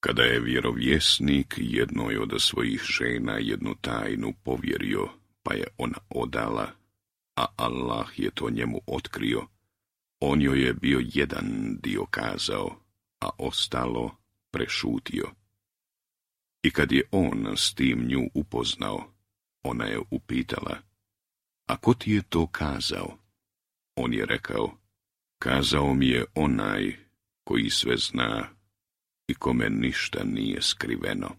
Kada je vjerovjesnik jednoj od svojih žena jednu tajnu povjerio, pa je ona odala, a Allah je to njemu otkrio, on joj je bio jedan dio kazao, a ostalo prešutio. I kad je on s tim nju upoznao, ona je upitala, a ko ti je to kazao? On je rekao, kazao mi je onaj koji sve zna i kome ništa nije skriveno.